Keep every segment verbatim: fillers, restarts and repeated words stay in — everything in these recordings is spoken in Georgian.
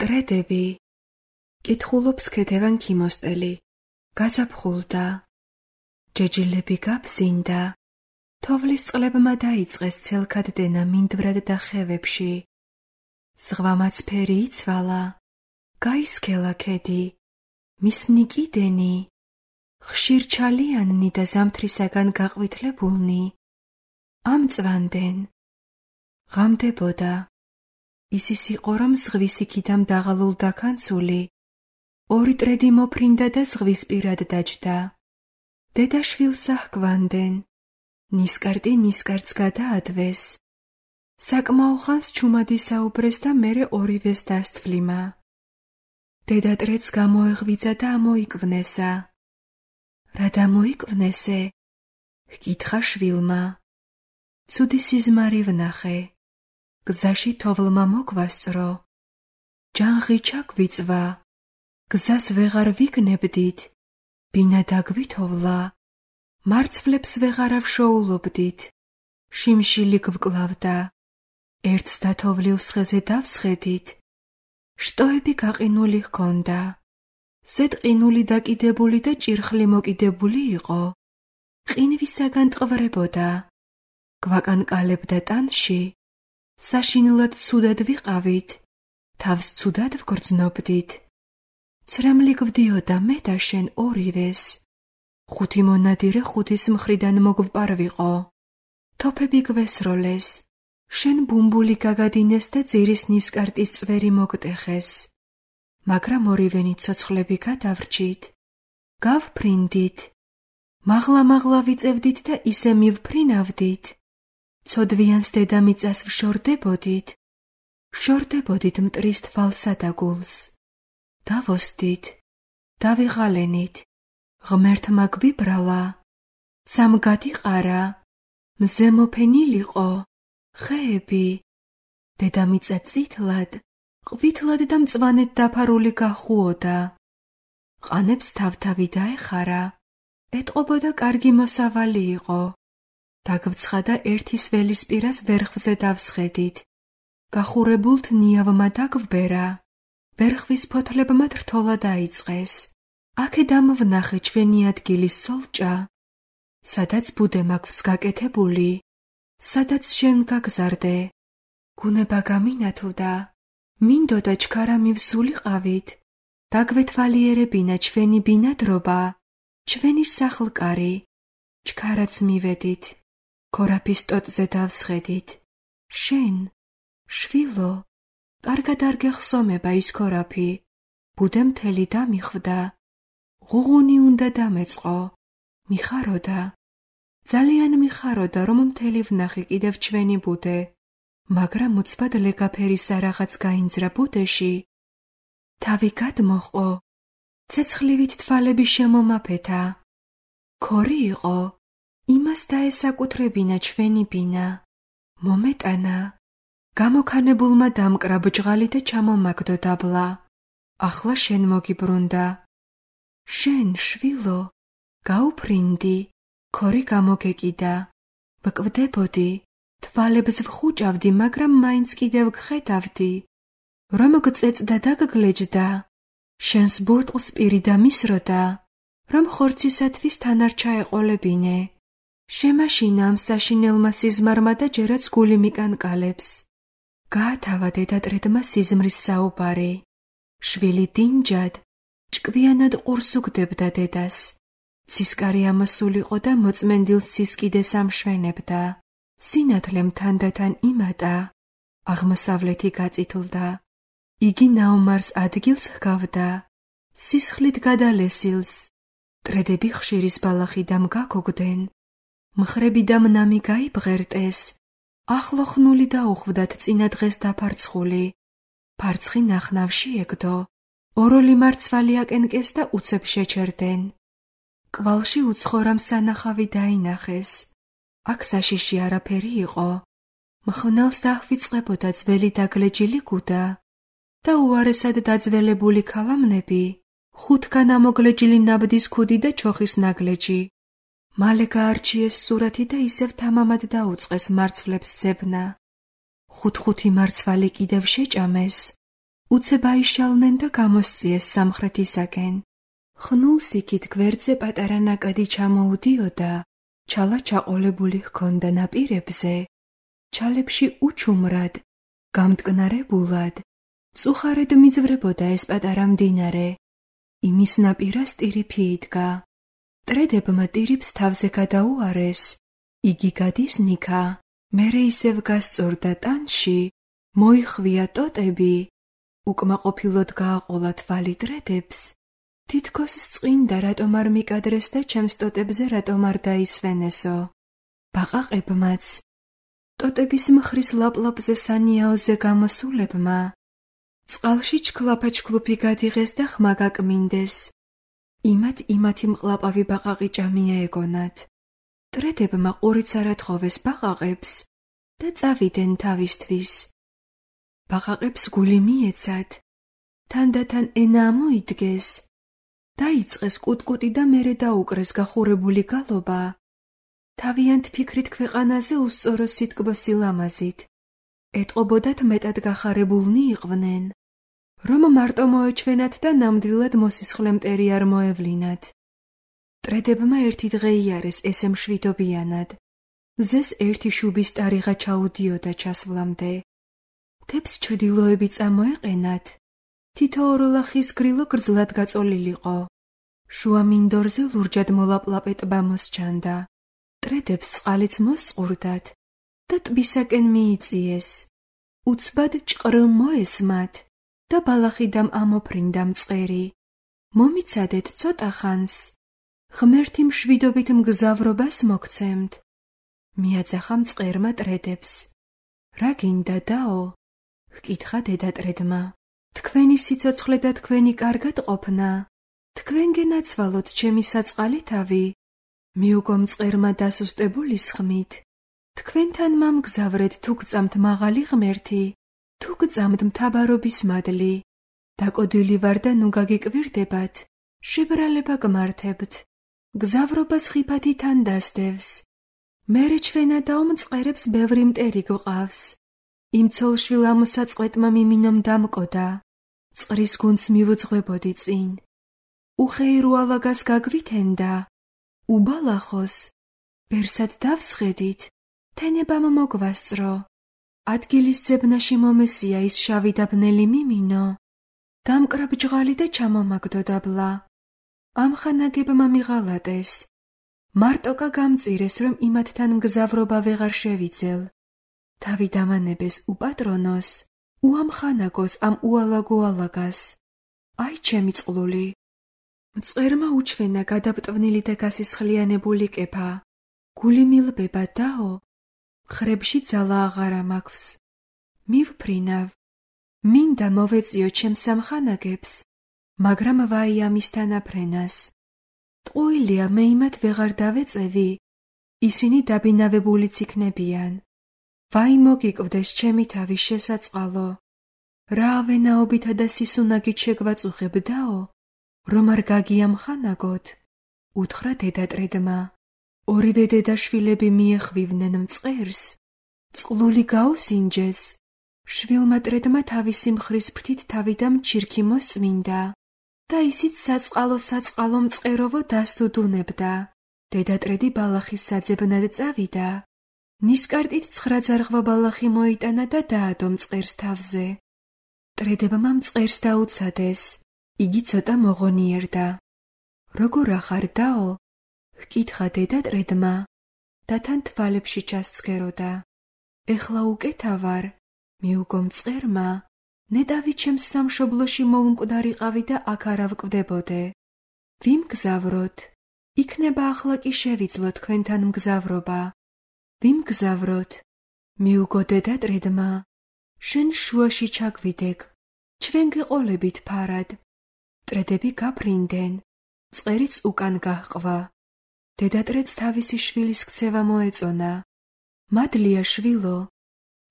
ტრედები. კითხულობს ქეთევან ქიმოსტელი. გაზაფხულდა. ჯეჯილები გაბზინდა. თოვლის წყლებმა დაიწყეს ცელქად დენა მინდვრად და ხევებში. ზღვამაც ფერი იცვალა. გაისქელა ქედი. მისნი კიდენი. ხშირ ჩალიანნი და ზამთრისაგან გაყვითლებულნი. ამწვანდენ. ღამდებოდა. ისის იყო, რომ ზღვის იქიდან დაღალულ დაქანცული. ორი ტრედი მოფრინდა და ზღვის პირად დაჯდა. დედაშვილს აჰგვანდენ. ნისკარტი ნისკარტს გადაადვეს. საკმაო ხანს ჩუმადი საუბრეს და მერე ორივეს დასთვლიმა. დედა ტრედს გამოეღვიძა და ამოიკვვნესა. რა დამოიკვვნესე? ჰკითხა შვილმა. ცუდი სიზმარი ვნახე. გზაში თოვლმა მოგვასწრო. ჯანღი ჩაგვიწვა. გზას ვეღარ ვიგნებდით. ბინა დაგვითოვლა. მარცვლებს ვეღარ ავშოულობდით. შიმშილი გვკლავდა. ერთს და თოვლილს ხეზე დავსხედით. შტოები გაყინული ჰქონდა. ზედ ყინული დაკიდებული და ჭირხლი მოკიდებული იყო. ყინვისაგან ტყვრებოდა. გვაკანკალებდა ტანში. საშინლად ცუდად ვიყავით. თავს ცუდად ვგრძნობდით. ცრემლი გვდიოდა მე და შენ ორივეს. ხუთი მონადირე ხუთის მხრიდან მოგვპარვიყო. თოფები გვესროლეს. შენ ბუმბული გაგადინეს და ძირის ნისკარტის წვერი მოგტეხეს. მაგრამ ორივენი ცოცხლები გადავრჩით. გავფრინდით. მაღლა-მაღლა ვიწევდით და ისე მივფრინავდით. ცოდვიანს დედამიწას ვშორდებოდით. ვშორდებოდით მტრის თვალსა და გულს. დავოსდით. დავიღალენით. ღმერთმა გვიბრალა. ცამ გადიყარა. მზე მოფენილიყო. ხეები. დედამიწა წითლად, ყვითლად და მწვანედ დაფარული გახუოდა. ყანებს თავთავი დაეხარა. ეტყობოდა კარგი მოსავალი იყო. დაგვცხადა ერთის ველის პირას ვერხვზე დავსხედით. გახურებულთ ნიავმა დაგვბერა. ვერხვის ფოთლებმა რთოლა დაიწყეს. აქედამ ვნახე ჩვენი ადგილის სოლჭა. სადაც ბუდე მაქვს გაკეთებული. სადაც შენ გაგზარდე. გუნება გამინათლდა. მინდოდა ჩქარა მივსულიყავით. დაგვეთვალიერებინა ჩვენი ბინადრობა. ჩვენი სახლკარი. ჩქარაც მივედით. ქორაფის ტოტზე დავსხედით. შენ, შვილო, კარგად არ გეხსომება ის ქორაფი. ბუდე მთელი დამიხვდა. ღუღუნი უნდა დამეწყო. მიხაროდა. ძალიან მიხაროდა, რომ მთელი ვნახე კიდევ ჩვენი ბუდე. მაგრამ უცბად ლეგაფერისა რაღაც გაინძრა ბუდეში. თავი გადმოჰყო. ცეცხლივით თვალები შემომაფეთა. ქორი იყო. იმას დაესაკუთრებინა ჩვენი ბინა. მომეტანა. გამოქანებულმა დამკრა ბჭღალი და ჩამომაგდო დაბლა. ახლა შენ მოგიბრუნდა. შენ, შვილო, გაუფრინდი. ქორი გამოგეკიდა. ვკვდებოდი. თვალებს ვხუჭავდი, მაგრამ მაინც კიდევ გხედავდი. რომ გწეწდა და გგლეჯდა. შენს ბურტყლს პირი დამისროდა. რომ ხორცისათვის თან არ ჩაეყოლებინე. შემაშინა ამ საშინელმა სიზმარმა და ჯერაც გული მიკანკალებს. გაათავა დედა ტრედმა სიზმრის საუბარი. შვილი დინჯად, ჭკვიანად ყურს უგდებდა დედას. ცისკარი ამოსულიყო და მოწმენდილ სისკიდეს ამშვენებდა. სინათლემ თანდათან იმატა. აღმოსავლეთი გაწითლდა. იგი ნაომარს ადგილს ჰგავდა. სისხლით გადალესილს. ტრედები ხშირის ბალახიდამ გაგოგდნენ. მხრები და მნამი გაიბღერტეს. ახლო ხნული დაუხვდათ წინა დღეს დაფარცხული. ფარცხი ნახნავში ეგდო. ოროლი მარცვალი აკენკეს და უცებ შეჩერდნენ. კვალში უცხორამ სანახავი დაინახეს. აქ საშიში არაფერი იყო. მხნელს დახვიწყებოდა ძველი დაგლეჯილი გუდა და უარესად დაძველებული ქალამნები, ხუთგან ამოგლეჯილი ნაბდის ქუდი და ჩოხის ნაგლეჯი. მალე გაარჩიეს სურათი და ისევ თამამად დაუწყეს მარცვლებს ძებნა. ხუთ-ხუთი მარცვალი კიდევ შეჭამეს. უცებ აიშალნენ და გამოსწიეს სამხრეთისაკენ. ხნულს იქით გვერდზე პატარა ნაკადი ჩამოუდიოდა, ჩალა ჩაყოლებული ჰქონდა ნაპირებზე, ჩალებში უჩუმრად, გამტკნარებულად, წუხარედ მიძვრებოდა ეს პატარა მდინარე. იმის ნაპირას ტირიფი იდგა. ტრედებმა ტირიფს თავზე გადაუარეს, იგი გადის ნიქა, მერე ისევ გასწორდა ტანში, მოიხვია ტოტები, უკმაყოფილოდ გააყოლა თვალი ტრედებს, თითქოს სწინდა რატომ არ მიკადრეს და ჩემს ტოტებზე რატომ არ დაისვენესო. ბაყაყებმაც, ტოტების მხრის ლაპლაპზე სანიაოზე გამოსულებმა, წყალში ჩქლაფაჩქლუფი გადიღეს და ხმა გაკმინდეს. იმათ იმათი მყლაპავი ბაყაყი ჭამია ეგონათ. ტრედებმა ყურიც არ ათხოვეს ბაყაყებს და წავიდნენ თავისთვის. ბაყაყებს გული მიეცათ, თანდათან ენა მოიდგეს, დაიწყეს კუტკუტი და მერე დაუკრეს გახურებული გალობა. თავიანთ ფიქრით ქვეყანაზე უსწორო სიტკბო სილამაზით. ეტყობოდათ მეტად გახარებულნი იყვნენ, რომ მარტო მოეჩვენათ და ნამდვილად მოსისხლე მტერი არ მოევლინათ. ტრედებმა ერთი დღე იარეს ესე მშვიდობიანად. მზეს ერთი შუბის ტარიღა ჩაუდიოდა ჩასვლამდე. მთებს ჩრდილოები წამოეყენათ, თითო ოროლახის გრილო გრძლად გაწოლილიყო. შუა მინდორზე ლურჯად მოლაპლაპე ტბა მოსჩანდა. ტრედებს წყალიც მოსწყურდათ და ტბისაკენ მიიწიეს. უცბად ჭყრ მოესმათ და ბალახიდამ ამოფრინდა მწყერი. მომიცადეთ ცოტა ხანს, ღმერთი მშვიდობით მგზავრობას მოგცემთ. მიაძახა მწყერმა ტრედებს. რა გინდა დაო? ჰკითხა დედა ტრედმა. თქვენი სიცოცხლე და თქვენი კარგად ყოფნა. თქვენ გენაცვალოთ ჩემი საწყალი თავი. მიუგო მწყერმა დასუსტებული სხმით. თქვენთან მამგზავრეთ თუ გწამთ მაღალი ღმერთი, თუ გწამთ მთავარობის მადლი. დაკოდილი ვარ და ნუ გაგიკვირდებათ, შებრალება გმართებთ. გზავრობას ხიფათი თან დასდევს. მერე ჩვენადაო მწყერებს ბევრი მტერი გვყავს. იმ ცოლშვილ ამოსაწყვეტმა მიმინომ დამკოდა. წყრის გუნდს მივუძღვებოდი წინ. უხეირო ალაგას გაგვითენდა. უბალახოს, ბერსად დავსხედით, თენებამ მოგვასწრო. ადგილის ძებნაში მომესია ის შავი და ბნელი მიმინო. დამკრა ბჯღალი და ჩამომაგდო დაბლა. ამხანაგებმა მიღალატეს. მარტოკა გამწირეს, რომ იმათთან მგზავრობა ვეღარ შევიძელ. თავი დამანებეს უპატრონოს, უამხანაგოს ამ უალაგო ალაგას. აი ჩემი წყლული. მწყერმა უჩვენა გადაბტვნილი და გასისხლიანებული კეფა. გული მილბება დაო, ხრებში ძალა აღარა მაქვს. მივფრინავ, მინდა მოვეწიო ჩემს სამხანაგებს, მაგრამ ვაი ამის თანაფრენას. ტყუილია მე იმათ ვეღარ დავეწევი, ისინი დაბინავებულიც იქნებიან. ვაი მოგიკვდეს ჩემი თავი შესაწყალო. რა ავენაობითა და სისუნაგით შეგვაწუხებ დაო, რომ არ გაგიამხანაგოთ, უთხრა დედა ტრედმა. ორივე დედაშვილები მიეხვივნენ მწყერს, წყლული გაუსინჯეს. შვილმა ტრედმა თავისი მხრის ფრთით თავიდან ჩირქი მოსწმინდა და ისიც საწყალო საწყალო მწყეროვო დასტუდუნებდა. დედა ტრედი ბალახის საძებნად წავიდა. ნისკარტით ცხრა ძარღვა ბალახი მოიტანა და დაადო მწყერს თავზე. ტრედებმა მწყერს დაუცადეს. იგი ცოტა მოღონიერდა. როგორ ახარ დაო? ჰკითხა დედა ტრედმა და თან თვალებში ჩასცქეროდა. ეხლა უკეთა ვარ, მიუგო მწყერმა. ნეტავი ჩემს სამშობლოში მოუნკვდარიყავი და აქ არ ავკვდებოდე. ვიმგზავროთ, იქნება ახლა კი შევიძლო თქვენთან მგზავრობა. ვიმგზავროთ, მიუგო დედა ტრედმა. შენ შუაში ჩაგვიდეგ, ჩვენ გეყოლებით ფარად. ტრედები გაფრინდნენ, წყერიც უკან გაჰყვა. დედა ტრედს თავისი შვილის ქცევა მოეწონა. მადლია შვილო,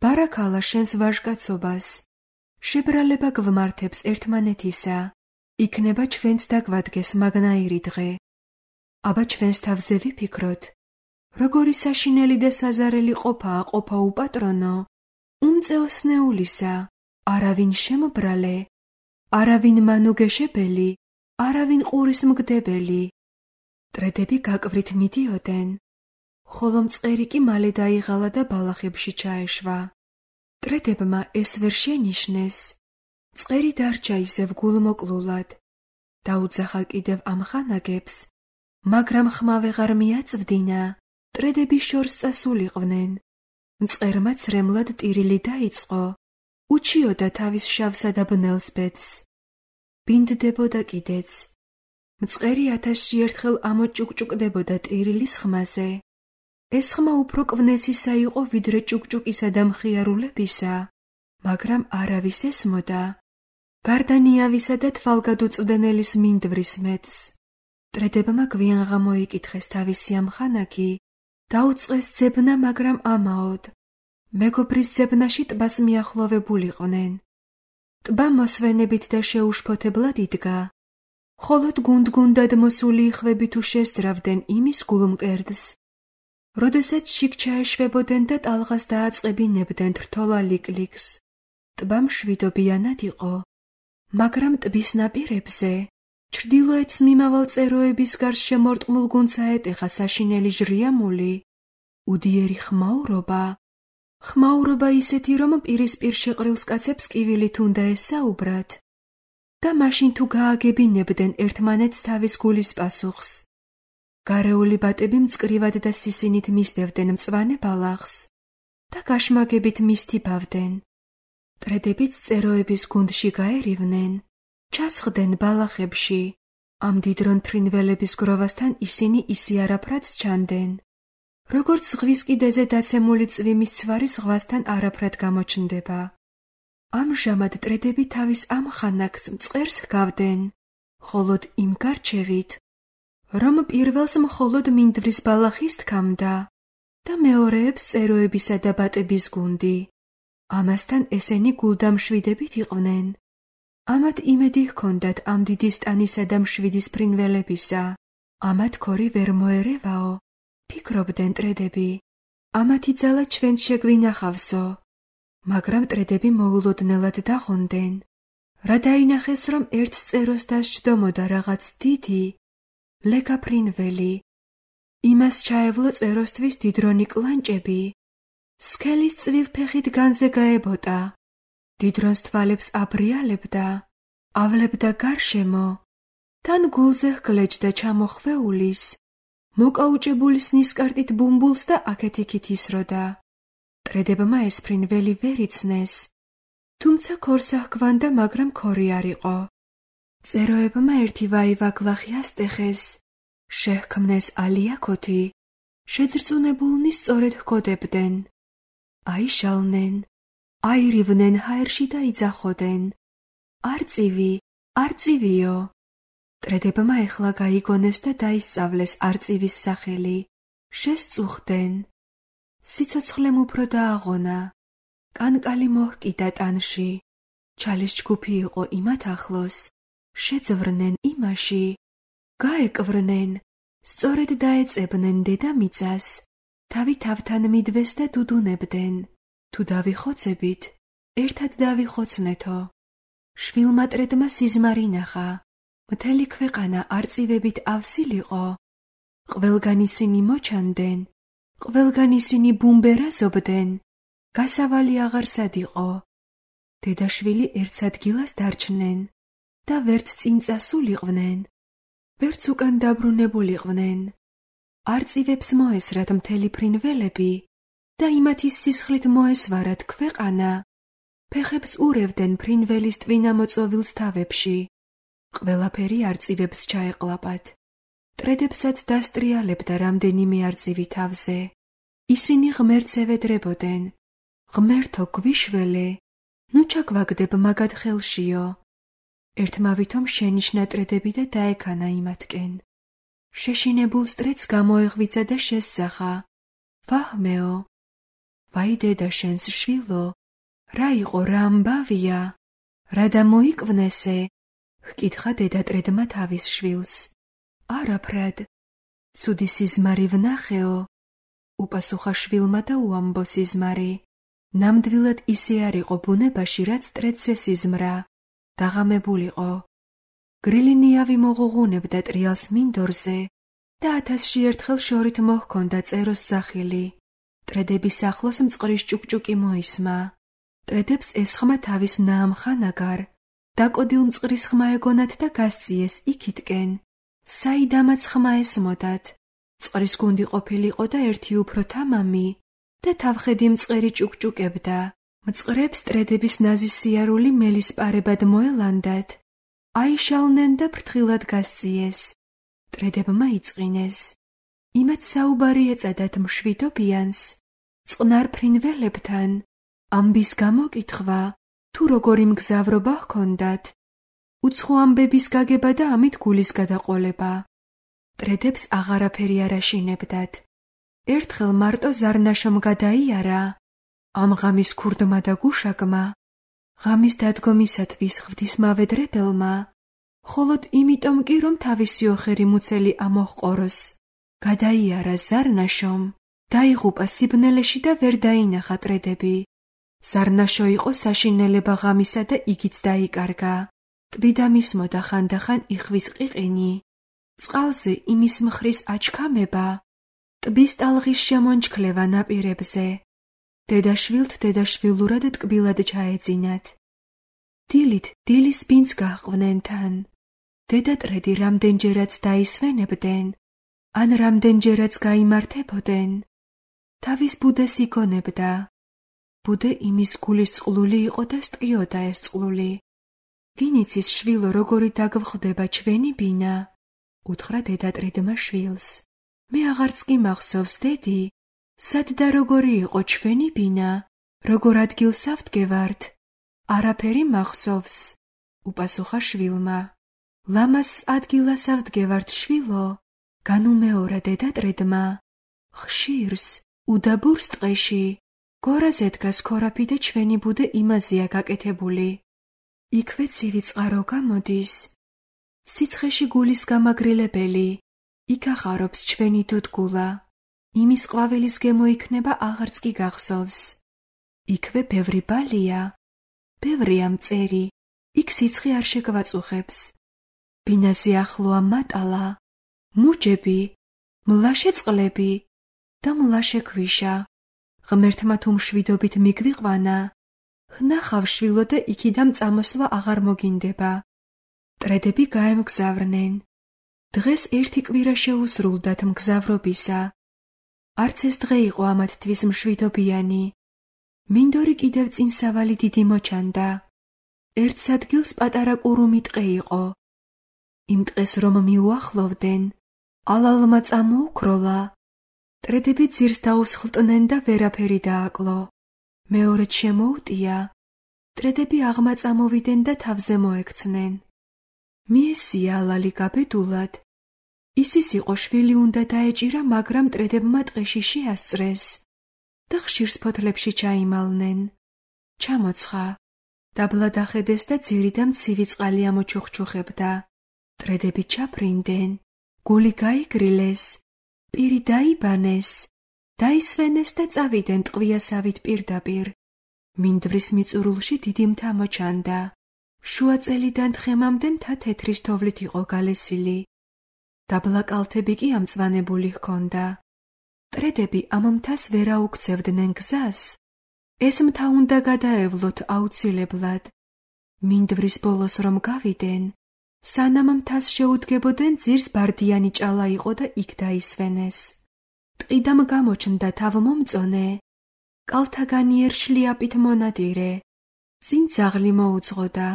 ბარაქალა შენს ვაჟკაცობას. შებრალება გვმართებს ერთმანეთისა. იქნება ჩვენც დაგვადგეს მაგნაირი დღე. აბა ჩვენს თავზე ვიფიქროთ, როგორი საშინელი და საზარელი ყოფაა ყოფა უპატრონო, უმწეოსნეულისა, არავინ შემობრალე, არავინ მანუგეშებელი, არავინ ყურის მგდებელი. ტრედები გაკვრით მიდიოდნენ, ხოლო მწყერი კი მალე დაიღალა და ბალახებში ჩაეშვა. ტრედებმა ეს ვერ შენიშნეს. მწყერი დარჩა ისევ გულმოკლულად. დაუძახა კიდევ ამ ხანაგებს, მაგრამ ხმა ვეღარ მიაწვდინა. ტრედები შორს წასულიყვნენ. მწყერმა ცრემლად ტირილი დაიწყო. უჩიოდა თავის შავსა და ბნელს ბედს. ბინდდებოდა კიდეც. მწყერი ათასში ერთხელ ამოჭუკჭუკდებოდა ტირილის ხმაზე. ეს ხმა უფრო კვნესისა იყო ვიდრე ჭუკჭუკისა და მხიარულებისა, მაგრამ არავის ესმოდა. გარდა ნიავისა და თვალგადუწვდენელის მინდვრის მეტს. ტრედებმა გვიან გამოიკითხეს თავისი ამხანაგი, დაუწყეს ძებნა, მაგრამ ამაოდ. მეგობრის ძებნაში ტბას მიახლოვებულიყვნენ. ტბა მოსვენებით და შეუშფოთებლად იდგა. ხოლოდ გუნდ-გუნდად მოსული იხვები თუ შესძრავდნენ იმის გულმკერდს. როდესაც შიგ ჩაეშვებოდნენ და ტალღას დააწყებინებდნენ რთოლა ლიკ-ლიკს. ტბა მშვიდობიანად იყო, მაგრამ ტბის ნაპირებზე, ჩრდილოეთს მიმავალ წეროების გარს შემორტყმულ გუნდს აეტეხა საშინელი ჟრიამული, უდიერი ხმაურობა. ხმაურობა ისეთი, რომ პირისპირ შეყრილს კაცებს კივილით უნდა ესაუბრათ და მაშინ თუ გააგებინებდნენ ერთმანეთს თავის გულის პასუხს. გარეული ბატები მწკრივად და სისინით მისდევდნენ მწვანე ბალახს და გაშმაგებით მისთიბავდნენ. ტრედებიც წეროების გუნდში გაერივნენ, ჩასხდნენ ბალახებში. ამ დიდრონ ფრინველების გროვასთან ისინი ისიარაფრად სჩანდნენ. როგორც ზღვის კიდეზე დაცემული წვიმის ცვარი ზღვასთან არაფრად გამოჩნდება. ამჟამად ტრედები თავის ამ ხანაკს მწყერს ჰგავდნენ, ხოლოდ იმ გარჩევით, რომ პირველს მხოლოდ მინდვრის ბალახის თქამდა და მეორეებს წეროებისა და ბატების გუნდი. ამასთან ესენი გულდამშვიდებით იყვნენ. ამათ იმედი ჰქონდათ ამ დიდი სტანისა და მშვიდის ფრინველებისა. ამათ ქორი ვერ მოერევაო, ფიქრობდნენ ტრედები. ამათი ძალა ჩვენც შეგვინახავსო. მაგრამ ტრედები მოულოდნელად დაღონდნენ. რა დაინახეს, რომ ერთ წეროს დასჯდომოდა რაღაც დიდი, ლეკა ფრინველი. იმას ჩაევლო წეროსთვის დიდრონი კლანჭები. სქელის წვივ ფეხით განზე გაებოტა. დიდრონს თვალებს აბრიალებდა, ავლებდა გარშემო. თან გულზე ჰგლეჯდა ჩამოხვეულის, მოკაუჭებულის ნისკარტით ბუმბულს და აქეთ-იქით ისროდა. ტრედებმა ეს ფრინველი ვერ იცნეს, თუმცა ქორს აჰგვანდა, მაგრამ ქორი არ იყო. წეროებმა ერთი ვაივაგლახი ასტეხეს, შეჰქმნეს ალიაქოთი, შეძრწუნებულნი სწორედ ჰგოდებდნენ. აიშალნენ, აირივნენ ჰაერში და იძახოდნენ. არწივი, არწივიო. ტრედებმა ეხლა გაიგონეს და დაისწავლეს არწივის სახელი. შესწუხდნენ. სიცოცხლემ უფრო დააღონა. კანკალი მოჰკიდა ტანში. ჩალის ჯგუფი იყო იმათ ახლოს. შეძვრნენ იმაში. გაეკვრნენ. სწორედ დაეწებნენ დედამიწას. თავი თავთან მიდვეს და დუდუნებდნენ. თუ დავიხოცებით, ერთად დავიხოცნეთო. შვილმა ტრედმა სიზმარი ნახა. მთელი ქვეყანა არწივებით ავსილიყო. ყველგან ისინი მოჩანდნენ, ყველგან ისინი ბუმბერაზობდნენ. გასავალი აღარსად იყო. დედაშვილი ერთს ადგილას დარჩნენ და ვერც წინ წასულიყვნენ, ვერც უკან დაბრუნებულიყვნენ. არწივებს მოესრათ მთელი ფრინველები და იმათის სისხლით მოესვარათ ქვეყანა. ფეხებს ურევდნენ ფრინველის ტვინამოწოვილს თავებში. ყველაფერი არწივებს ჩაეყლაპათ. ტრედებსაც დასტრიალებდა რამდენიმე არწივი თავზე. ისინი ღმერთს ევედრებოდნენ. ღმერთო გვიშველე, ნუ ჩაგვაგდებ მაგად ხელშიო. ერთმა ვითომ შენიშნა ტრედები და დაექანა იმათკენ. შეშინებულ ტრედს გამოეღვიძა და შესძახა. ვაჰმეო, ვაი დედა შენს შვილო, რა იყო, რა ამბავია, რა დამოიკვნესე? ჰკითხა დედა ტრედმა თავის შვილს. არაფრად, ცუდი სიზმარი ვნახეო, უპასუხა შვილმა და უამბო სიზმარი. ნამდვილად ისე არ იყო ბუნებაში, რაც ტრედს ესიზმრა. დაღამებულიყო. გრილინიავი მოღუღუნებდა ტრიალს მინდორზე და ათასში ერთხელ შორით მოჰქონდა წეროს სახილი. ტრედების ახლოს მწყრის ჭუკჭუკი მოისმა. ტრედებს ესხმა თავის ნაამხანაგარ, დაკოდილ მწყრის ხმა ეგონათ და გასწიეს იქითკენ, საიდამაც ხმა ესმოდათ. წყრის გუნდი ყოფილიყო და ერთი უფრო თამამი და თავხედი მწყერი ჭუკჭუკებდა. მწყრებს ტრედების ნაზის სიარული მელის პარებად მოელანდათ. აიშალნენ და ფრთხილად გასწიეს. ტრედებმა იწყინეს. იმათ საუბარი ეწადათ მშვიდობიანს, წყნარ ფრინველებთან, ამბის გამოკითხვა, თუ როგორი მგზავრობა ჰქონდათ, უცხო ამბების გაგება და ამით გულის გადაყოლება. ტრედებს აღარაფერი არ აშინებდათ. ერთხელ მარტო ზარნაშომ გადაიარა, ამ ღამის ქურდმა და გუშაკმა, ღამის დადგომისათვის ღვთისმავედრებელმა, ხოლოდ იმიტომ კი რომ თავისი ოხერი მუცელი ამოჰყოროს, გადაიარა ზარნაშომ, დაიღუპა სიბნელეში და ვერ დაინახა ტრედები. ზარნაშო იყო საშინელება ღამისა და იქიც დაიკარგა. ტბიდა მისმოდა ხანდახან იხვის ყიყინი. წყალზე იმის მხრის აჩქამება, ტბის ტალღის შემონჩქლევა ნაპირებზე. დედაშვილთ დედაშვილურად ტკბილად ჩაეძინათ. დილით დილის ბინძ გაჰყვნენ თან. დედა ტრედი რამდენჯერაც დაისვენებდნენ, ან რამდენჯერაც გაიმართებოდნენ. თავის ბუდეს იგონებდა. ბუდე იმის გულის წყლული იყო და სტკიოდა ეს წყლული. ვინ იცის შვილო როგორი დაგვხვდება ჩვენი ბინა? უთხრა დედა ტრედმა შვილს. მე აღარც კი მახსოვს დედი, სად და როგორი იყო ჩვენი ბინა, როგორ ადგილს ავდგევართ? არაფერი მახსოვს, უპასუხა შვილმა. ლამას ადგილას ავდგევართ შვილო, განუმეორა დედა ტრედმა. ხშირს, უდაბურს ტყეში, გორაზე დგას ქორაფი და ჩვენი ბუდე იმაზეა გაკეთებული. იქვე ცივი წყარო გამოდის. სიცხეში გულის გამაგრილებელი, იქ ახარობს ჩვენი დუდგულა. იმის ყვავილის გემო იქნება აღარც კი გახსოვს. იქვე ბევრი ბალია, ბევრია მწერი, იქ სიცხე არ შეგვაწუხებს. ბინაზე ახლოა მატალა, მუჯები, მლაშე წყლები და მლაშე ქვიშა. ღმერთმა თუ მშვიდობით მიგვიყვანა, ვნახავ შვილო და იქიდან წამოსვლა აღარ მოგინდება. ტრედები გაემგზავრნენ. დღეს ერთი კვირა შეუსრულდათ მგზავრობისა. არც ეს დღე იყო ამათთვის მშვიდობიანი. მინდორი კიდევ წინ სავალი დიდი მოჩანდა. ერთ ადგილს პატარა კურუმი ტყე იყო. იმ ტყეს რომ მიუახლოვდნენ, ალალმა წამოუქროლა. ტრედები ძირს დაუსხლტნენ და ვერაფერი დააკლო. მეორედ შემოუტია. ტრედები აღმა წამოვიდნენ და თავზე მოექცნენ. მიესია ალალი გაბედულად. ისის იყო შვილი უნდა დაეჭირა, მაგრამ ტრედებმა ტყეში შეასწრეს და ხშირს ფოთლებში ჩაიმალნენ. ჩამოცხა. დაბლა დახედეს და ძირიდან მცივი წყალი ამოჩუხჩუხებდა. ტრედები ჩაფრინდნენ, გული გაიგრილეს, პირი დაიბანეს, დაისვენეს და წავიდნენ ტყვიასავით პირდაპირ. მინდვრის მიწურულში დიდი მთა მოჩანდა. შუა წელიდან თხემამდე მთა თეთრის თოვლით იყო გალესილი. დაბლა კალთები კი ამწვანებული ჰქონდა. ტრედები ამ მთას ვერ აუქცევდნენ გზას. ეს მთა უნდა გადაევლოთ აუცილებლად. მინდვრის ბოლოს რომ გავიდნენ, სანამ მთას შეუდგებოდნენ, ძირს ბარდიანი ჭალა იყო და იქ დაისვენეს. ტყიდამ გამოჩნდა თავმომწონე, კალთაგანიერ შლიაპით მონადირე. წინ ძაღლი მოუძღოდა.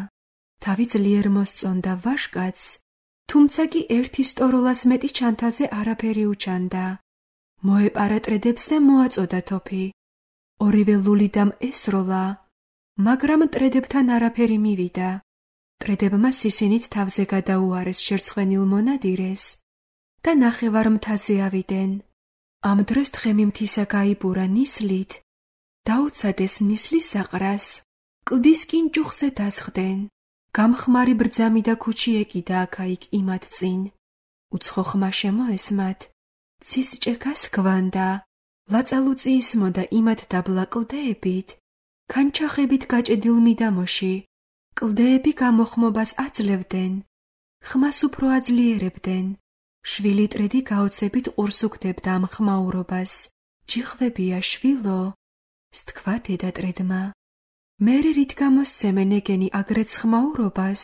თავი ძლიერ მოსწონდა ვაშკაც, თუმცა კი ერთი სტოროლას მეტი ჩანთაზე არაფერი უჩანდა. მოეპარა ტრედებს და მოაწოდა თოფი. ორივე ლულიდამ ესროლა, მაგრამ ტრედებთან არაფერი მივიდა. ტრედებმა სისინით თავზე გადაუარეს შერცხვენილ მონადირეს და ნახევარ მთაზე ავიდნენ. ამ დროს თხემი-მთისა გაიბურა ნისლით, დაუცადეს ნისლის საყრას, კლდის კინჭუხზე დასხდნენ. გამხმარი ბრძამი და ქუჩი ეკიდა აქა-იქ იმათ წინ. უცხო ხმა შემოესმათ, ცის ჭექას გვანდა, ლაწალუწი ისმოდა იმათ დაბლა კლდეებით, ქანჩახებით გაჭედილ მიდამოში, კლდეები გამოხმობას აძლევდნენ, ხმას უფრო აძლიერებდნენ. შვილი ტრედი გაოცებით ყურს უგდებდა ამ ხმაურობას. ჯიხვებია შვილო, სთქვა დედა ტრედმა. მერე რით გამოსცემენ ეგენი აგრეც ხმაურობას?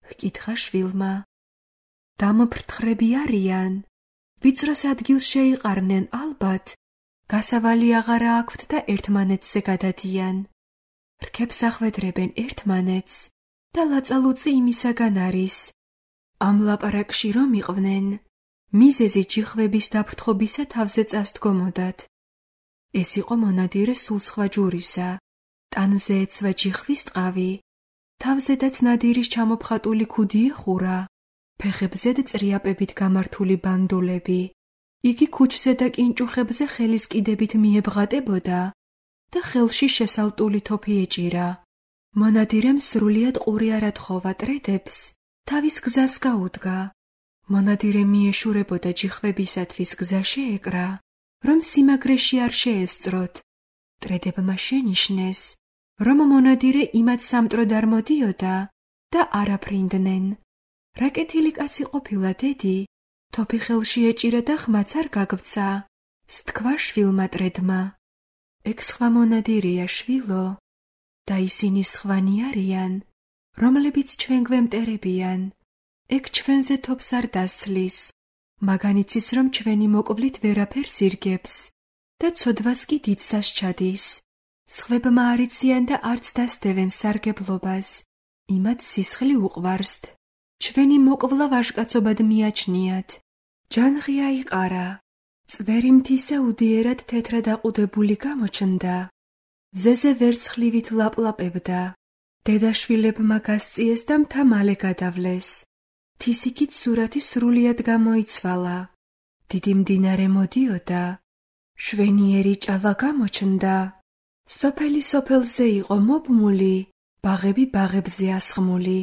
ჰკითხა შვილმა. დამოფრთხრები არიან, ვიწროს ადგილს შეიყარნენ ალბათ, გასავალი აღარა აქვთ და ერთმანეთზე გადადიან. რქებს ახვედრებენ ერთმანეთს და ლაწალუწი იმისაგან არის. ამ ლაპარაკში რომ იყვნენ, მიზეზი ჯიხვების დაფრთხობისა თავზე წასდგომოდათ. ეს იყო მონადირე სულ სხვა ჯურისა. ტანზე ეცვა ჯიხვის ტყავი, თავზედაც ნადირის ჩამოფხატული ქუდი ეხურა, ფეხებზედ წრიაპებით გამართული ბანდოლები. იგი ქუჩზე და კინჭუხებზე ხელის კიდებით მიებღატებოდა და ხელში შესალტული თოფი ეჭირა. მონადირემ სრულიად ყური არ ათხოვა ტრედებს, თავის გზას გაუდგა. მონადირე მიეშურებოდა ჯიხვებისათვის გზა შეეკრა, რომ სიმაგრეში არ შეესწროთ. ტრედებმა შენიშნეს, რომ მონადირე იმად სამტროდ არ მოდიოდა და არ აფრინდნენ. რა კეთილი კაცი ყოფილა დედი, თოფი ხელში ეჭირა და ხმაც არ გაგვრცა, სთქვა შვილმა ტრედმა. ეგ სხვა მონადირეა შვილო, და ისინი სხვანი არიან, რომლებიც ჩვენ გვემტერებიან. ეგ ჩვენზე თოფს არ დასცლის, მაგანიცის რომ ჩვენი მოკლით ვერაფერს ირგებს და ცოდვას კი დიდსას ჩადის. სხვებმა არიციან და არც დასდევენ სარგებლობას, იმათ სისხლი უყვარსთ. ჩვენი მოკვლა ვაჟკაცობად მიაჩნიათ. ჯანღი აიყარა, წვერი მთისა უდიერად თეთრად აყუდებული გამოჩნდა. ზეზე ვერცხლივით ლაპლაპებდა. დედაშვილებმა გასწიეს და მთა მალე გადავლეს. თისიქით სურათი სრულიად გამოიცვალა. დიდი მდინარე მოდიოდა. შვენიერი ჭალა გამოჩნდა. სოფელი სოფელზე იყო მობმული, ბაღები ბაღებზე ასხმული.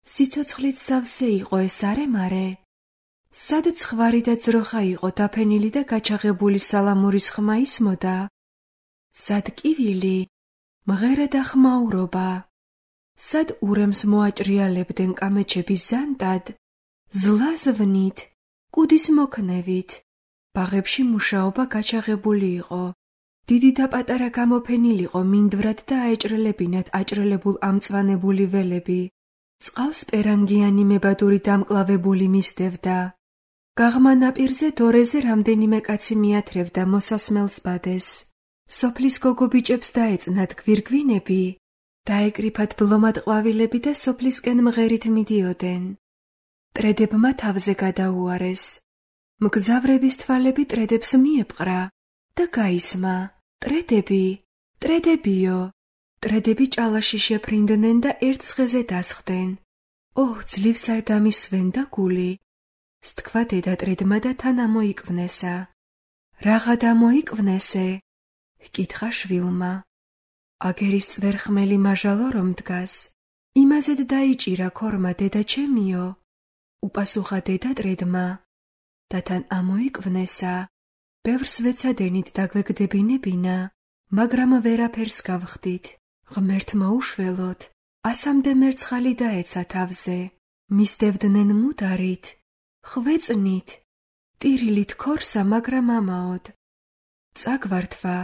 სიცოცხლით სავსე იყო ეს არემარე. სად ცხვარი და ძროხა იყო დაფენილი და გაჩაღებული სალამურის ხმა ისმოდა. სად კივილი, მღერა და ხმაურობა. სად ურემს მოაჭრიალებდნენ კამეჩები ზანტად, ზლაზვნით, კუდის მოქნევით. ბაღებში მუშაობა გაჩაღებული იყო. დიდი და პატარა გამოფენილიყო მინდვრად და აეჭრელებინათ აჭრელებულ ამწვანებული ველები. წყალს პერანგიანი მებადური დამკლავებული მისდევდა. გაღმა ნაპირზე დორეზე რამდენიმე კაცი მიათრევდა მოსასმელს ბადეს. სოფლის გოგობიჭებს დაეწნათ გვირგვინები, დაეკრიფათ ბლომად ყვავილები და სოფლისკენ მღერით მიდიოდნენ. ტრედებმა თავზე გადაუარეს. მგზავრების თვალები ტრედებს მიეპყრა და გაისმა. ტრედები, ტრედებიო. ტრედები ჭალაში შეფრინდნენ და ერთ ცხეზე დასხდნენ. ოჰ, ძლივს არ დამისვენ და გული. სთქვა დედა ტრედმა და თან ამოიკვნესა. რაღა დამოიკვნესე? ჰკითხა შვილმა. აგერის წვერხმელი მაჟალო რომ დგას, იმაზედ დაიჭირა ქორმა დედა ჩემიო. უპასუხა დედა ტრედმა. და თან ამოიკვნესა. ბევრს ვეცადენით დაგვეგდებინებინა, მაგრამ ვერაფერს გავხდით. ღმერთმა უშველოთ, ასამდე მერცხალი დაეცა თავზე. მისდევდნენ მუდარით, ხვეწნით, ტირილით ქორსა, მაგრამ ამაოდ. წაგვართვა,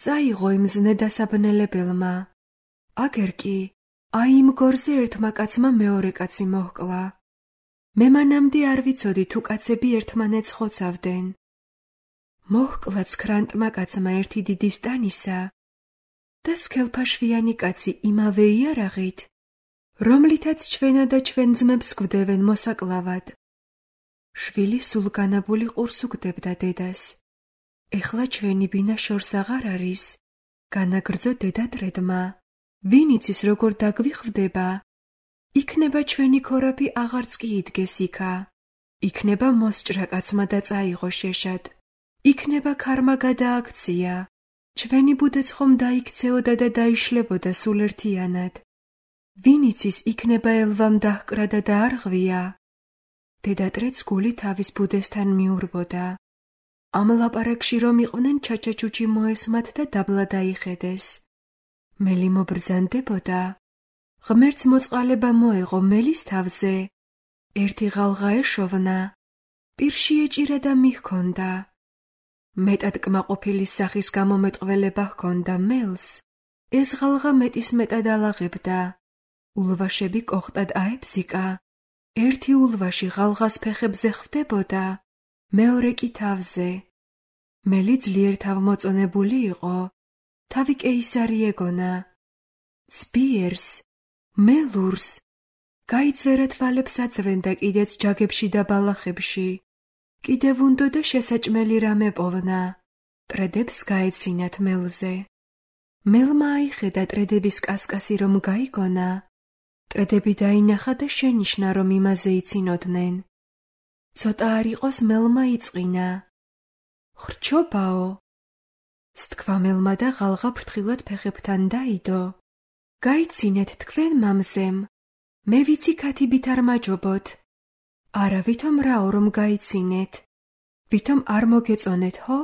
წაიღო იმ ზნე დასაბნელებელმა. აგერ კი, აი იმ გორზე ერთმა კაცმა მეორე კაცი მოჰკლა. მე მანამდე არ ვიცოდი თუ კაცები ერთმანეთს ხოცავდნენ. მოჰკლა ცქრანტმა კაცმა ერთი დიდი სტანისა და სქელფაშვიანი კაცი იმავე იარაღით, რომლითაც ჩვენა და ჩვენ ძმებს გვდევენ მოსაკლავად. შვილი სულ განაბული ყურს უგდებდა დედას. ეხლა ჩვენი ბინა შორს აღარ არის, განაგრძო დედა ტრედმა. ვინ იცის როგორ დაგვიხვდება? იქნება ჩვენი ქორაფი აღარც კი იდგეს იქა. იქნება მოსჭრა კაცმა და წაიღო შეშად. იქნება ქარმა გადააქცია. ჩვენი ბუდეც ხომ დაიქცეოდა და დაიშლებოდა სულ ერთიანად. ვინ იცის იქნება ელვამ დაჰკრა და დაარღვია. დედა ტრედს გული თავის ბუდესთან მიურბოდა. ამ ლაპარაკში რომ იყვნენ ჩაჩაჩუჩი მოესმათ და დაბლა დაიხედეს. მელი მობრძანდებოდა. ღმერთს მოწყალება მოეღო მელის თავზე. ერთი ღალღა ეშოვნა, პირში ეჭირა და მიჰქონდა. მეტად კმაყოფილი სახის გამომეტყველება ჰქონდა მელს, ეს ღალღა მეტის მეტად ალაღებდა. ულვაშები კოხტად აებზიკა, ერთი ულვაში ღალღას ფეხებზე ხვდებოდა, მეორე კი თავზე. მელი ძლიერ თავმოწონებული იყო, თავი კეისარი ეგონა. ძბიერს, მელურს, გაიძვერა თვალებს აძვრენდა კიდეც ჯაგებში და ბალახებში. კიდევ უნდოდა შესაჭმელი რამე პოვნა, ტრედებს გაეცინათ მელზე. მელმა აიხედა ტრედების კასკასი რომ გაიგონა, ტრედები დაინახა და შენიშნა რომ იმაზე იცინოდნენ. ცოტა არ იყოს მელმა იწყინა. ხრჩობაო, სთქვა მელმა და ღალღა ფრთხილად ფეხებთან დაიდო. გაიცინეთ თქვენ მამზემ, მე ვიცი ქათიბით არ მაჯობოთ. არა ვითომ რაო რომ გაიცინეთ, ვითომ არ მოგეწონეთ ხო?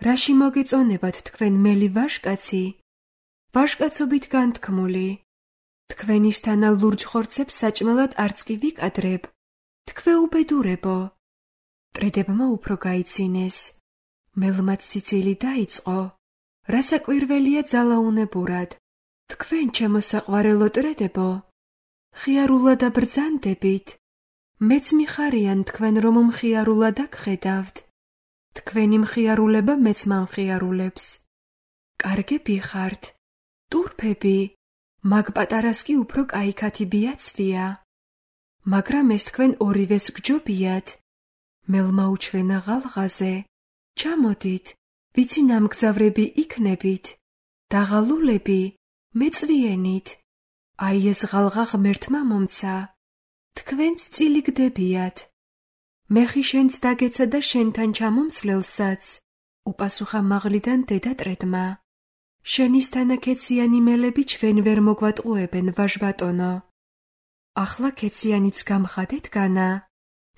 რაში მოგეწონებათ თქვენ მელი ვაჟკაცი? ვაჟკაცობით განთქმული. თქვენისთანა ლურჯ ხორცებს საჭმელად არც კი ვიკადრებ. თქვე უბედურებო. ტრედებმა უფრო გაიცინეს. მელმაც ციცილი დაიწყო. რასაკვირველია ძალაუნებურად. თქვენ ჩემო საყვარელო ტრედებო, ხიარულად აბრძანდებით. მეც მიხარიან თქვენ რომ მხიარულად აგხედავთ. თქვენი მხიარულება მეც მამხიარულებს. კარგები ხართ, ტურფები, მაგ პატარას კი უფრო კაი ქათიბია ცვია. მაგრამ ეს თქვენ ორივეს გჯობიათ. მელმა უჩვენა ღალღაზე, ჩამოდით, ვიცი ნამგზავრები იქნებით. დაღალულები, მეწვიენით. აი ეს ღალღა ღმერთმა მომცა. თქვენც წილი გდებიათ. მეხი შენც დაგეცა და შენთან ჩამომსვლელსაც, უპასუხა მაღლიდან დედა ტრედმა. შენისთანა ქეციანი მელები ჩვენ ვერ მოგვატყუებენ, ვაჟბატონო. ახლა ქეციანიც გამხადეთ განა,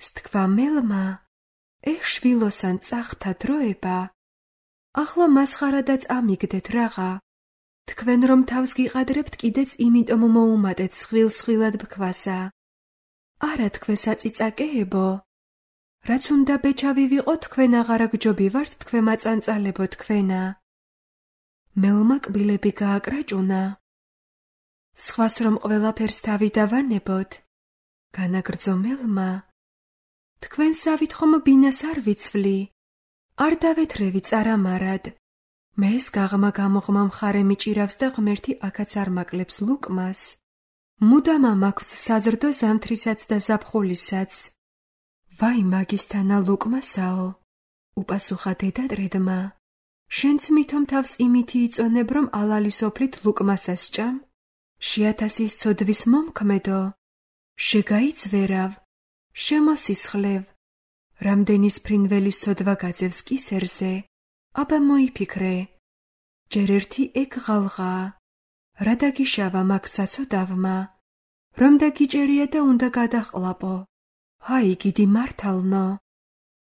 სთქვა მელმა. ეხ შვილოსან წახთა დროება. ახლა მასხარადაც ამიგდეთ რაღა. თქვენ რომ თავს გიყადრებთ კიდეც იმიტომ მოუმატეთ სხვილ-სხვილად ბქვასა. არა თქვენ საწიწაკეებო. რაც უნდა ბეჭავი ვიყო თქვენ აღარა გჯობივართ თქვენ მაწანწალებო თქვენა. მელმა კბილები გააკრაჭუნა. სხვას რომ ყველაფერს თავი დავანებოთ. განაგრძო მელმა. თქვენ სავით ხომ ბინას არ ვიცვლი. არ დავეთრევი წარამარად. მე ეს გაღმა გამოღმა მხარე მიჭირავს და ღმერთი აქაც არ მაკლებს ლუკმას. მუდამ მაქვს საზრდო ზამთრისაც და ზაფხულისაც. ვაი მაგისთანა ლუკმასაო, უპასუხა დედა ტრედმა. შენც მithom თავს იმითი იწონებ რომ ალალი სოფლით ლუკმასას ჭამ? შეათასის ცოდვის მომქმედო. შეგაიძვერავ, შემოსისხლევ. რამდენის ფრინველის ცოდვა გაძევს კისერზე, აბა მოიფიქრე. ჯერ ერთი ეგ ღალღაა. რა დაგიშავა მაგ საცოდავმა? რომ დაგიჭერია და უნდა გადაყლაპო. ჰაი გიდი მართალნო.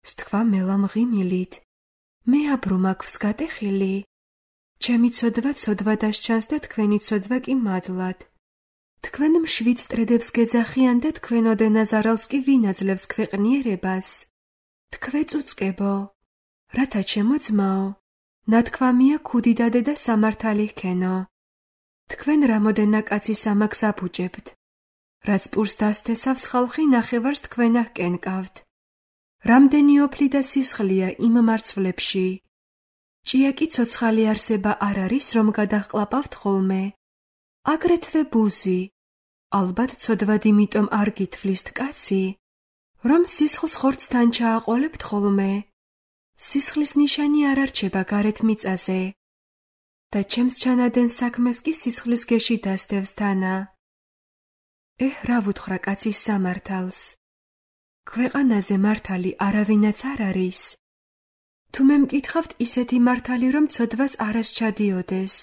სთქვა მელა მღიმილით. მე აბრუ მაქვს გატეხილი. ჩემი ცოდვა ცოდვა დასჩანს და თქვენი ცოდვა კი მადლად. თქვენ მშვიდ ტრედებს გეძახიან და თქვენ ოდენას არალს კი ვინაძლევს ქვეყნიერებას. თქვე წუწკებო. რათა ჩემო ძმაო, ნათქვამია ქუდი დადე და სამართალი ჰქენო. თქვენ რამოდენა კაცი სამაგს აბუჯებთ. რაც პურს დასთესავს ხალხი ნახევარს თქვენა ჰკენკავთ. რამდენი ოფლი და სისხლია იმ მარცვლებში. ჭია კი ცოცხალი არსება არ არის რომ გადაჰყლაპავთ ხოლმე. აგრეთვე ბუზი. ალბათ ცოდვად იმიტომ არ გითვლისთ კაცი, რომ სისხლს ხორცთან ჩააყოლებთ ხოლმე. სისხლის ნიშანი არ არჩება გარეთ მიწაზე. და ჩემს ჩანადენ საქმეს კი სისხლის გეში დასდევს თანა. ეჰ, რა ვუთხრა კაცის სამართალს. ქვეყანაზე მართალი არავინაც არ არის. თუ მე მკითხავთ ისეთი მართალი რომ ცოდვას არას ჩადიოდეს.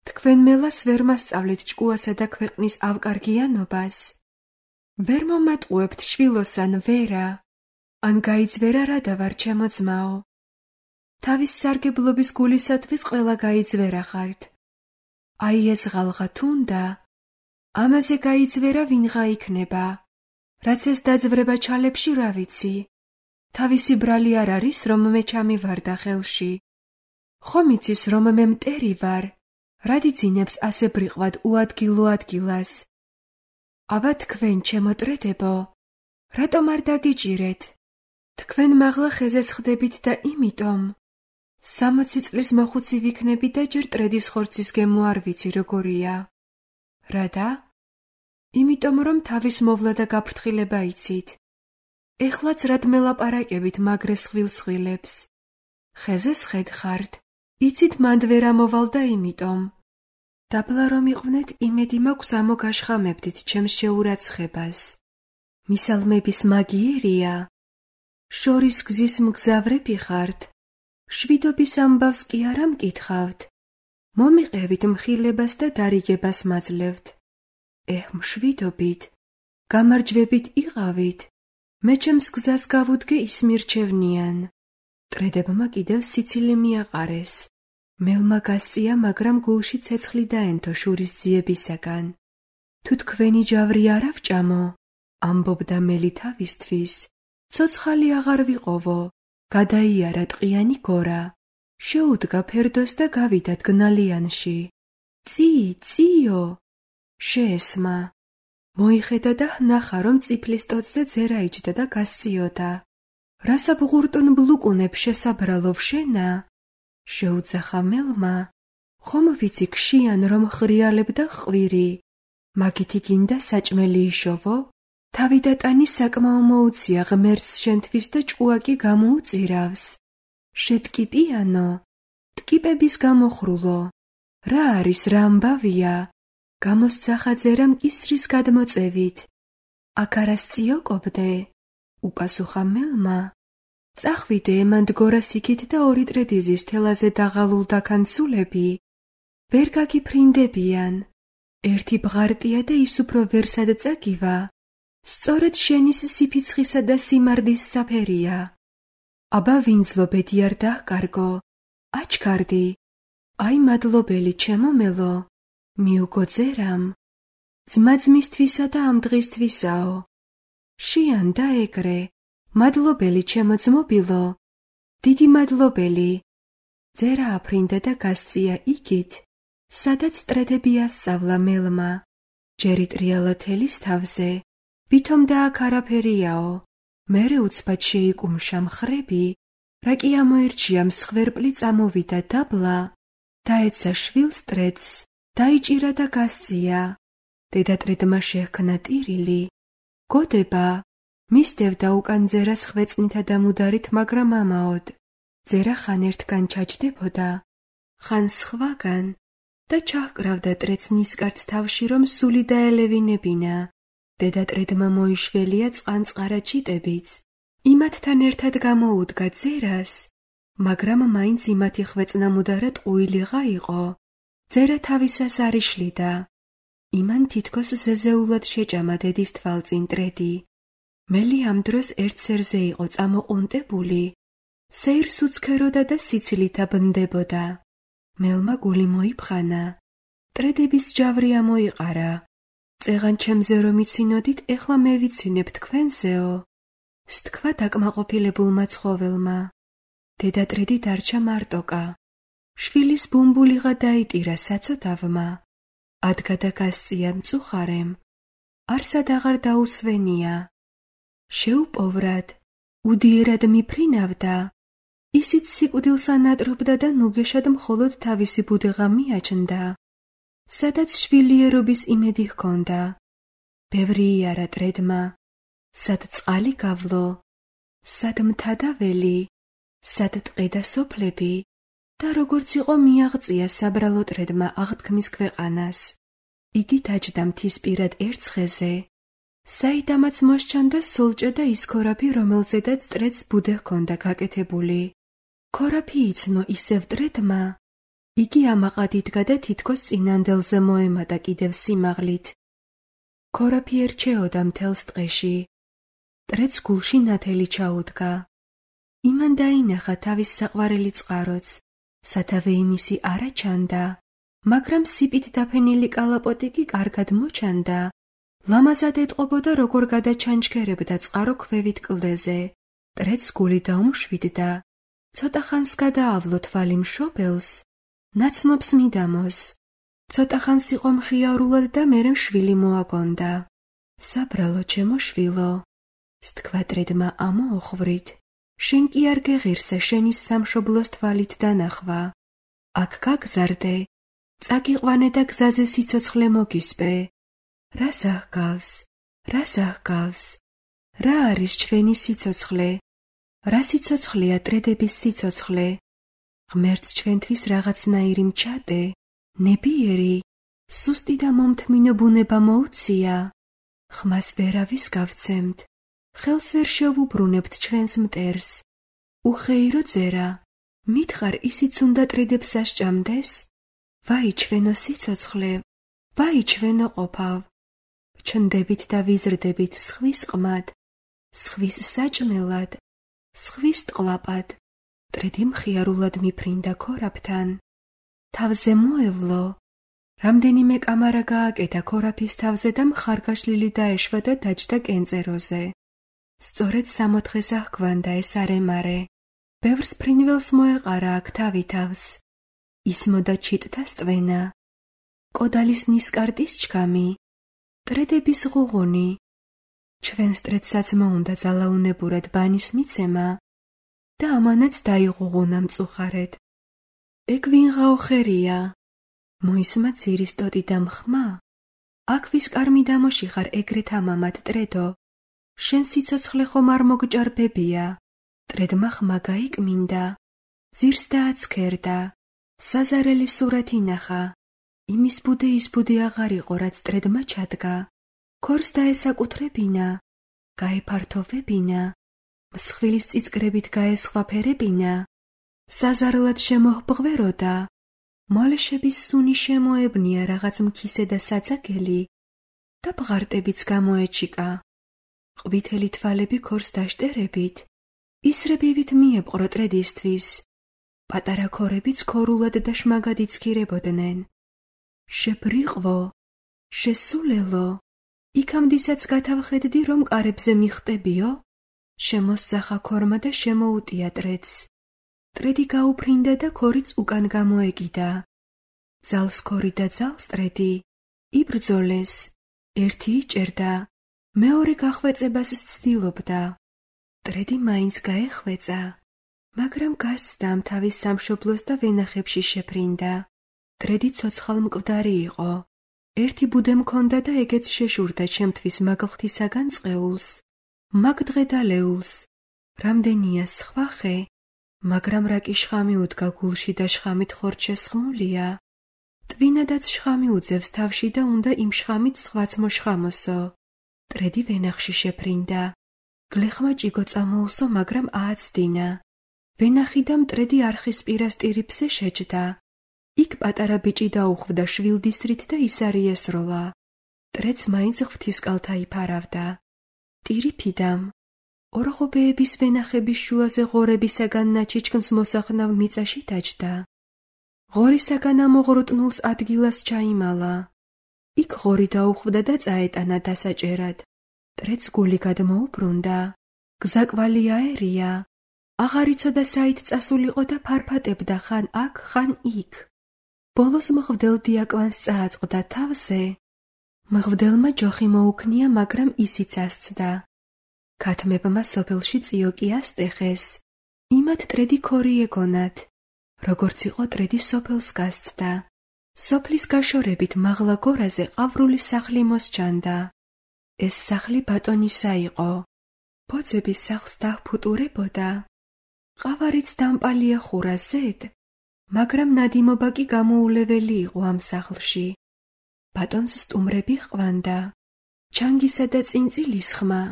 თქვენ მელას ვერ მასწავლეთ ჭკუასა და ქვეყნის ავკარგიანობას. ვერ მომატყუებთ შვილოსან ვერა. ან გაიძვერა რა დავარ ჩემო ძმაო. თავის სარგებლობის გულისათვის ყველა გაიძვერა ხართ. აი ეს ღალღა თუნდა, ამაზე გაიძვერა ვინღა იქნება, რაც ეს დაძვრება ჩალებში რა ვიცი. თავისი ბრალი არ არის, რომ მე ჩამივარდა ხელში. ხომ იცის, რომ მე მტერი ვარ, რადი ძინებს ასე ბრიყვად უადგილო ადგილას. აბა თქვენ, ჩემო ტრედებო, რატომ არ დაგიჭირეთ? თქვენ მაღლა ხეზეს ხდებით და იმიტომ სამოცი წლის მოხუცი ვიქნები და ჯერ ტრედის ხორცის გემო არ ვიცი როგორია. რადა? იმიტომ რომ თავის მოვლა და გაფრთხილება იცით. ეხლაც რად მელაპარაკებით მაგრეს ხვილ-სხვილებს. ხეზეს ხედხართ, იცით მანდ ვერ ამოვალ და იმიტომ. დაბლა რომ იყვნენ, იმედი მაქვს ამოგაშხამებდით ჩემს შეურაცხებას. მისალმების მაგიერია. შორის გზის მგზავრები ხართ. შვიდობის ამბავს კი არ ამკითხავთ. მომიყევით მხილებას და დარიგებას მაძლევთ. ეჰ, მშვიდობით, გამარჯვებით იყავით. მე ჩემს გზას გავუდგე ის მირჩევნიან. ტრედებმა კიდევ სიცილი მიაყარეს. მელმა გასწია, მაგრამ გულში ცეცხლი დაენთო შურის ძიებისაგან. თუ თქვენი ჯავრი არ ავჭამო, ამბობდა მელი თავისთვის, ცოცხალი აღარ ვიყოვო. გადაიარა ტყიანი გორა, შეუდგა ფერდოს და გავიდა დგნალიანში. წი, წიო! შეესმა. მოიხედა და ვნახა, რომ წიფლის ტოტზე ძერა იჯდა და გასწიოდა. რასა ბღურტუნ ბლუკუნებ შესაბრალო ვშენა? შეუძახა მელმა. ხომ ვიცი ქშიან, რომ ხრიალებ და ხვირი. მაგითი გინდა საჭმელი იშოვო? თავი და ტანი საკმაო მოუწია ღმერთს შენთვის და ჭკუაკი გამოუწირავს. შეტკიპიანო, ტკიპების გამოხრულო. რა არის, რა ამბავია? გამოსძახა ძერამ კისრის გადმოწევით. აქ არას წიოკობდე? უპასუხა მელმა. წახვიდე ემან დგორას იქით და ორი ტრედიზის თელაზე დაღალულ დაქანცულები. ვერ გაგიფრინდებიან. ერთი ბღარტია და ის უფრო ვერსად წაგივა. სწორედ შენის სიფიცხისა და სიმარდის საფერია. აბა ვინძლობედი არ დაჰკარგო. აჩქარდი. აი მადლობელი ჩემო მელო. მიუგო ძერამ. ძმა-ძმისთვისა და ამ დღისთვისაო. შიან და ეგრე. მადლობელი ჩემო ძმობილო. დიდი მადლობელი. ძერა აფრინდა და გასწია იქით, სადაც ტრედები ასწავლა მელმა. ჯერი ტრიალა თელის თავზე. ვითომ და აქ არაფერიაო. მერე უცბად შეიკუმშა მხრები, რა კი ამოირჩია მსხვერპლი წამოვიდა დაბლა, დაეცა შვილს ტრედს, დაიჭირა და გასწია. დედა ტრედმა შეჰქნა ტირილი. გოდება, მისდევდა უკან ძერას ხვეწნითა და მუდარით, მაგრამ ამაოდ. ძერა ხან ერთგან ჩაჯდებოდა, ხან სხვაგან და ჩაჰკრავდა ტრედს ნისკარტს თავში, რომ სული დაელევინებინა. დედა ტრედმა მოიშველია წყანწყარა ჩიტებიც. იმათთან ერთად გამოუდგა ძერას, მაგრამ მაინც იმათი ხვეწნა მუდარად ყუილიღა იყო. ძერა თავისას არ იშლიდა. იმან თითქოს ზეზეულად შეჭამა დედის თვალწინ ტრედი. მელი ამ დროს ერთ სერზე იყო წამოყუნტებული. სეირს უცქეროდა და სიცილითა ბნდებოდა. მელმა გული მოიფხანა. ტრედების ჯავრი ამოიყარა. წეღან ჩემზე რომ იცინოდით, ეხლა მე ვიცინებ თქვენზეო. სთქვა დაკმაყოფილებულმა ცხოველმა. დედა ტრედი დარჩა მარტოკა. შვილის ბუმბულიღა დაიტირა საცოტავმა. ადგა და გასწია მწუხარემ. არსად აღარ დაუსვენია. შეუპოვრად, უდიერად მიფრინავდა. ისიც სიკვდილს ანატრობდა და ნუგეშად მხოლოდ თავისი ბუდეღა მიაჩნდა. სადაც შვილიერობის იმედი ჰქონდა. ბევრი იარა ტრედმა. სად წყალი გავლო, სად მთა და ველი, სად ტყე და სოფლები და როგორც იყო მიაღწია საბრალო ტრედმა აღთქმის ქვეყანას. იგი დაჯდა მთისპირად ერთ ხეზე, საიდამაც მოსჩანდა სოლჭე და ის ქორაფი, რომელზედაც ტრედს ბუდე ჰქონდა გაკეთებული. ქორაფი იცნო ისევ ტრედმა. იგი ამაყად იდგა და თითქოს წინანდელზე მოემატა კიდევ სიმაღლით. ქორაფი ერჩეოდა მთელს ტყეში. ტრედს გულში ნათელი ჩაუდგა. იმან დაინახა თავის საყვარელი წყაროც, სათავე იმისი არა ჩანდა, მაგრამ სიპით დაფენილი კალაპოტი კი კარგად მოჩანდა. ლამაზად ეტყობოდა, როგორ გადაჩანჩქერებდა წყარო ქვევით კლდეზე. მტრედს გული დაუმშვიდდა. ცოტა ხანს გადაავლო თვალი მშობელს, ნაცნობს მიდამოს. ცოტა ხანს იყო მხიარულად და მერე შვილი მოაგონდა. საბრალო ჩემო შვილო, სთქვა მტრედმა ამოოხვვრით, შენ კი არ გეღირსე შენის სამშობლოს თვალით დანახვა. აქ გაგზარდე, წაგიყვანე და გზაზე სიცოცხლე მოგისპე. რას აღგავს, რას აღგავს, რა არის ჩვენი სიცოცხლე? რა სიცოცხლეა მტრედების სიცოცხლე? ღმერთს ჩვენთვის რაღაცნაირი მჩატე, ნებიერი, სუსტი და მომთმინო ბუნება მოუწია. ხმას ვერავის გავცემთ, ხელს ვერ შევუბრუნებთ ჩვენს მტერს. უხეირო წერა, მითხარ ისიც უნდა მტრედებს ასჭამდეს? ვაი ჩვენო სიცოცხლე, ვაი ჩვენო ყოფავ. ჩნდებით და ვიზრდებით სხვის ყმად, სხვის საჭმელად, სხვის ტყლაპად. მტრედი მხიარულად მიფრინდა ქორაფთან. თავზე მოევლო. რამდენიმე კამარა გააკეთა ქორაფის თავზე და მხარგაშლილი დაეშვა და დაჯდა კენწეროზე. სწორედ სამოთხეს აღგვანდა ეს არემარე. ბევრს ფრინველს მოეყარა აქ თავი თავს. ისმოდა ჩიტთა სტვენა. კოდალის ნისკარტის ჩქამი. მტრედების ღუღუნი. ჩვენს მტრედსაც მოუნდა ძალაუნებურად ბანის მიცემა და ამანაც დაიღუღუნა მწუხარედ. ეგ ვინღაო ხერია? მოისმა ძირის ტოტი და მხმა. აქ ვის კარმი დამოში ხარ ეგრეთ ამამად მტრედო? შენ სიცოცხლე ხომ არ მოგჭარბებია? მტრედმა ხმა გაიკმინდა. ძირს დააცქერდა. საზარელი სურათი ნახა. იმის ბუდე ის ბუდე აღარ იყო, რაც მტრედმა ჩადგა. ქორს დაესაკუთრებინა, გაეფართოვებინა, მსხვილის წიწკრებით გაესხვაფერებინა. საზარლად შემოჰბღვეროდა. მოლეშების სუნი შემოებნია რაღაც მქისე და საძაგელი და ბღარტებიც გამოეჩიკა. ყვითელი თვალები ქორს დაშტერებით, ისრებივით მიეპყრო მტრედისთვის. პატარა ქორებიც ქორულად და შმაგად იცქირებოდნენ. შებრიყვო, შესულელო, იქამდისაც გათავხედდი, რომ კარებზე მიხტებიო? შემოსძახა ქორმა და შემოუტია მტრედს. მტრედი გაუფრინდა და ქორიც უკან გამოეკიდა. ძალს ქორი და ძალს მტრედი იბრძოლეს. ერთი იჭერდა, მეორე გახვეწებას ცდილობდა. მტრედი მაინც გაეხვეწა, მაგრამ გასცდა თავის სამშობლოს და ვენახებში შეფრინდა. მტრედი ცოცხალ მკვდარი იყო. ერთი ბუდე მქონდა და ეგეც შეშურდა ჩემთვის მაგ ღვთისაგან წყეულს, მაგ დღედალეულს. რამდენია სხვა ხე, მაგრამ რა კი შხამი უდგა გულში და შხამით ხორჩ შესხმულია. ტვინადაც შხამი უძევს თავში და უნდა იმ შხამით სხვაც მოშხამოსო. მტრედი ვენახში შეფრინდა. გლეხმა ჭიგო წამოუსო, მაგრამ ააცდინა. ვენახი და მტრედი არხის პირასტირიფზე შეჯდა. იქ პატარა ბიჭი დაუხვდა შვილდისრით და ისარიესროლა. მტრედს მაინც ღვთისკალთა იფარავდა. ტირიფიდამ ორღობეების ვენახების შუაზე ღორებისაგან ნაჩიჩქნს მოსახნავ მიწაში დაჯდა. ღორისაგან ამოღრუტნულს ადგილას ჩაიმალა. იქ ღორი დაუხვდა და წაეტანა დასაჭერად. მტრედს გული გადმოუბრუნდა. გზაკვალი აერია. აღარ იცოდა საით წასულიყო და ფარფატებდა ხან აქ, ხან იქ. ბოლოს მღვდელ დიაკვანს წააწყდა თავზე. მღვდელმა ჯოხი მოუქნია, მაგრამ ისიც ასცდა. ქათმებმა სოფელში წიოკი ასტეხეს. იმათ მტრედი ქორი ეგონათ. როგორც იყო მტრედი სოფელს გასცდა. სოფლის გაშორებით მაღლა გორაზე ყავრული სახლი მოსჩანდა. ეს სახლი ბატონისა იყო. ბოძები სახლს დაჰფუტურებოდა. ყავარიც დამპალია ხურაზედ, მაგრამ ნადიმობა კი გამოულეველი იყო ამ სახლში. ბატონს სტუმრები ჰყვანდა. ჩანგისა და წინწილის ხმა,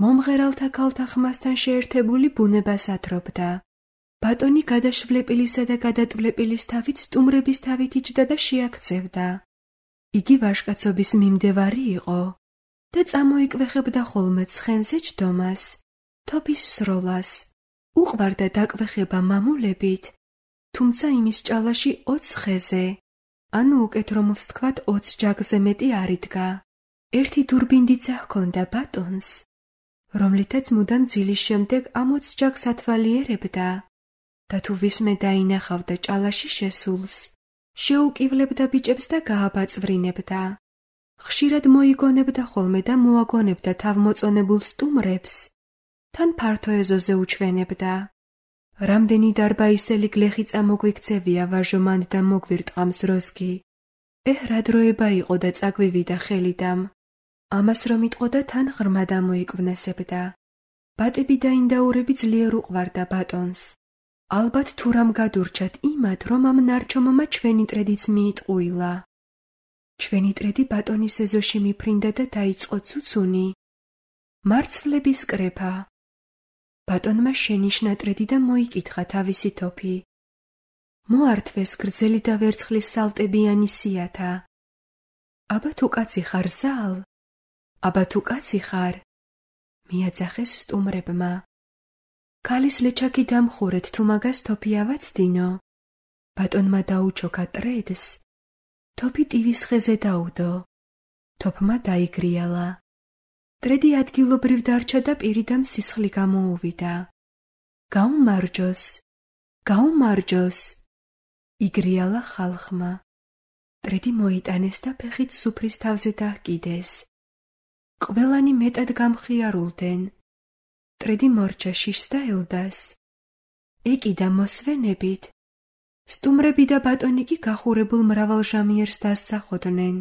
მომღერალთა ქალთა ხმასთან შეერთებული ბუნებას ათრობდა. ბატონი გადაშვლეპილისა და გადატვლებილის თავით სტუმრების თავით იჯდა და შეაქცევდა. იგი ვაჟკაცობის მიმდევარი იყო და წამოიკვეხებდა ხოლმე ცხენზე ჯდომას, თოფის სროლას. უყვარდა დაკვეხება მამულებით, თუმცა იმის ჭალაში ოც ხეზე, ანუ უკეთ რომ ვთქვათ ოცს ჯაგზე მეტი არ იდგა. ერთი დურბინდიცა ჰქონდა ბატონს, რომლითაც მუდამ ძილის შემდეგ ამ ოცს ჯაგს ათვალიერებდა და თუ ვისმე დაინახავდა ჭალაში შესულს, შეუკივლებდა ბიჭებს და გააბაწვრინებდა. ხშირად მოიგონებდა ხოლმე და მოაგონებდა თავმოწონებულ სტუმრებს, თან ფართო ეზოზე უჩვენებდა. რამდენი დარბაისელი გლეხი წამოგვიქცევია ვაჟო მანდ და მოგვირტყამს როზგი. ეჰ, რა დროება იყო და წაგვივიდა ხელიდამ. ამას რომ იტყოდა თან ღრმად ამოიკვნესებდა. ბატები და ინდაურები ძლიერ უყვარდა ბატონს. ალბათ თუ რამ გადურჩათ იმად, რომ ამ ნარჩომმა ჩვენი ტრედიც მიიტყუილა. ჩვენი ტრედი ბატონის ეზოში მიფრინდა და დაიწყო ცუცუნი. მარცვლების კრეფა. ბატონმა შენიშნა ტრედი და მოიკითხა თავისი თოფი. მოართვეს გრძელი და ვერცხლის სალტებიანი სიათა. აბა თუ კაცი ხარ ზალ? აბა თუ კაცი ხარ? მიაძახეს სტუმრებმა. ქალის ლეჩაკი დამხურეთ თუ მაგას თოფი ავაცდინო. ბატონმა დაუჩოქა ტრედს. თოფი ტივის ხეზე დაუდო. თოფმა დაიგრიალა. ტრედი ადგილობრივ დარჩა და პირიდამ სისხლი გამოუვიდა. გაუმარჯოს, გაუმარჯოს, იგრიალა ხალხმა. ტრედი მოიტანეს და ფეხით სუფრის თავზე დაჰკიდეს. ყველანი მეტად გამხიარულდნენ. ტრედი მორჩა შიშს და ელდას. ეკიდა მოსვენებით. სტუმრები და ბატონი კი გახურებულ მრავალჟამიერს დასძახოდნენ.